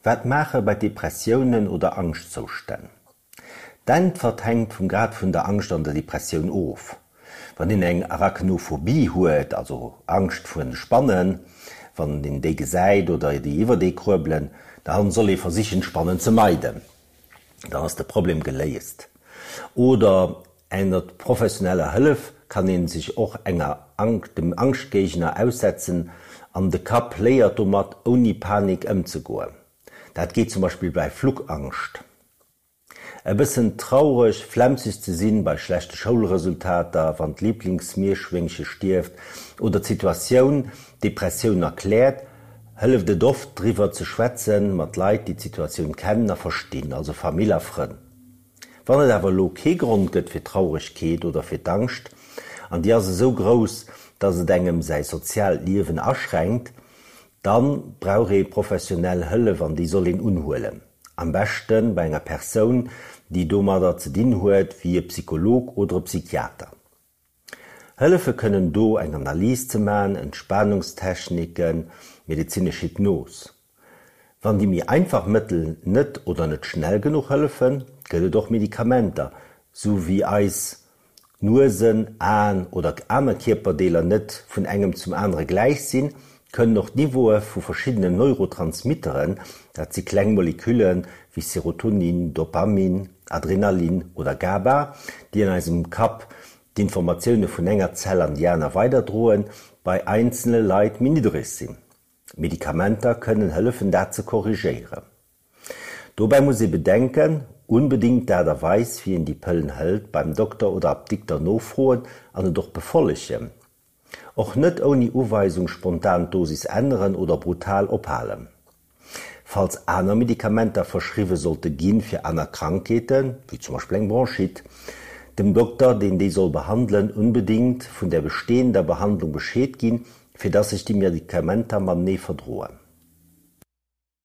Wat maache bei Depressiounen oder Angschtzoustänn? D'Äntwert hänkt vum Grad vun der Angscht an der Depressioun of. Wann een eng Arachnophobie huet, also Angscht vun Spannen, wann een déi gesäit oder déi iwwert ee kruebelen, da soll ee versichen d'Spannen ze meiden, dann ass de Problem geléist. Oder ennert professioneller Hëllef kann een sech och enger dem Angschtgéigner aussetzen an de Kapp léiert domat ouni Panik ëmzegoen. Dat geet zum Beispill bei Flugangscht. E bëssen traureg, flemmseg ze sinn bei schlechte Schoulresultater, wann d'Liiblingsmierschwéngche stierft oder d'Situatioun d'Depressioun erkläert, hëlleft et oft driwwer ze schwätzen mat Leit, déi d'Situatioun kennen a verstinn, also Famill a Frënn. Wann et awer elo kee Grond gëtt fir d'Trauregkeet oder fir d'Angscht, an déi ass esou grouss, dass et engem säi soziaalt Liewen aschränkt, Dann brauch ee professionell Hëllef an déi soll een unhuelen. Am beschte bei enger Persoun, déi domadder ze dinn huet, wéi e Psycholog oder e Psychiater. Hëllefe kënnen do eng Analys ze man, Entspanungstechniken, medezinesch Hypnos. Wann déi méi einfach Mëttel net oder net schnell genuch hëllefen, gëtt et och Medikamenter, sou wéi eis Nuesen, Aen oder aner Kierperdeeler net vun engem zum anere gläich sinn, kënnen och d'Niveaue vu verschiddenen Neurotransmitteren, dat si kleng Molekülle wéi Serotonin, Dopamin, Adrenalin oder GABA, déi an eisem Kapp d'Informatioune vun enger Zell an déi aner weiderdroen, bei einzelne Leit méi niddereg sinn. Medikamenter kënnen hëllefen dat ze korrigéieren. Dobäi muss ee bedenken, unbedingt d'Aart a Weis wéi een déi Pëllen hëlt beim Dokter oder Apdikter nofroen an et och befollegen. Och net ouni Uweisung spontan d'Dosis änneren oder brutal ophalen. Falls aner Medikamenter verschriwwe sollte ginn fir aner Krankheeten, wéi zum Beispill eng Bronchite, dem Dokter deen déi soll behandelen unbedingt vun der bestehender Behandlung Bescheed ginn, fir dass sech déi Medikamenter matenee verdroen.